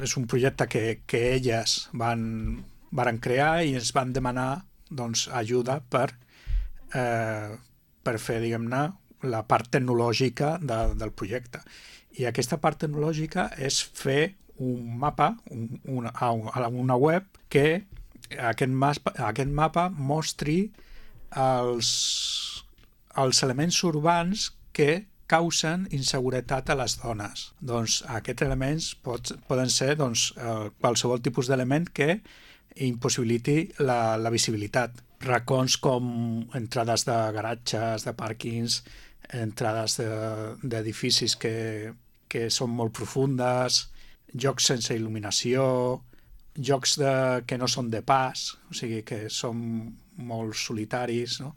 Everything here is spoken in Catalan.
és un projecte que elles varen crear i ens van demanar doncs, ajuda per fer, diguem-ne, la part tecnològica del projecte. I aquesta part tecnològica és fer un mapa, una web que aquest mapa mostri els, els elements urbans que causen inseguretat a les dones. Doncs aquests elements poden ser doncs, qualsevol tipus d'element que impossibiliti la visibilitat. Racons com entrades de garatges, de pàrquings, entrades d'edificis que són molt profundes, jocs sense il·luminació, jocs que no són de pas, o sigui que són molt solitaris, no?